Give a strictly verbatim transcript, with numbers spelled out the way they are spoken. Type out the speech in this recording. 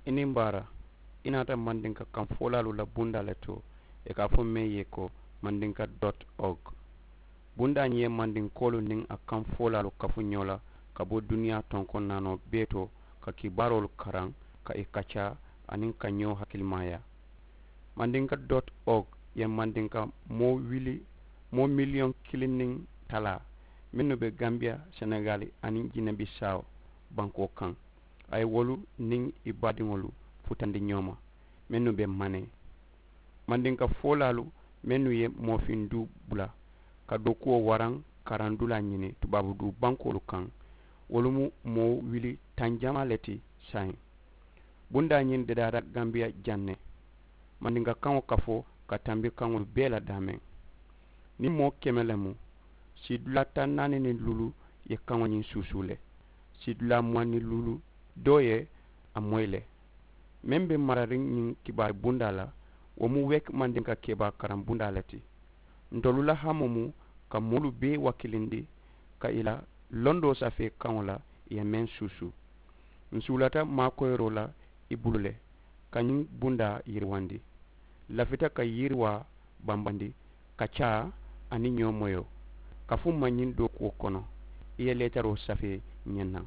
I niŋ baara. I naata mandinka kaŋ foolaalu la bundaa le to, i ka a fo meŋ ye ko mandinka dot org. Bundaa ñiŋ ye mandinkoolu niŋ a kaŋ foolaalu kafu ñoo la ka bo duniyaa tonkoŋ naanoo bee to, ka kibaaroolu karaŋ, ka i kaccaa, aniŋ ka ñoo hakilimaaya. Mandinka dot org ye mandinka moo wili moo miliyoŋ kiliŋ niŋ talaa mennu be gambiya, senegaali, aniŋ jinebisaawo bankoo kaŋ. A ye wolu niŋ i baadiŋolu futandi ñoo ma mennu be manee. Mandinka foolaalu mennu ye moofiŋ duu bula ka dookuwo waraŋ, karaŋ dulaa ñini tubaabu duu bankoolu kaŋ, wolu mu moo wili taŋ jamaa le ti saayiŋ. Bundaa ñiŋ dedaata gambiya jaŋ ne. Mandinka kaŋo kafoo ka tambi kaŋolu bee la daameŋ. Niŋ moo keme le mu, siidulaa taŋ naani niŋ luulu ye kaŋo ñiŋ suusuu le. Siidulaa muwaŋ niŋ luulu doo ye a moyi le. Meŋ be marariŋ ñiŋ kibaari bundaa la, wo mu wek mandinka kebaa karaŋ bundaa le ti. Ntolu la hamoo mu ka moolu bee wakilindi ka i la londoo safee kaŋo la i ye meŋ suusu. Nsuulata maakoyiroo la i bulu le ka ñiŋ bundaa yiriwandi. Lafita ka yiriwaa bambandi ka caa aniŋ ñoo moyoo ka fumma ñiŋ dookuwo kono. I ye leetaroo safee ñennaŋ.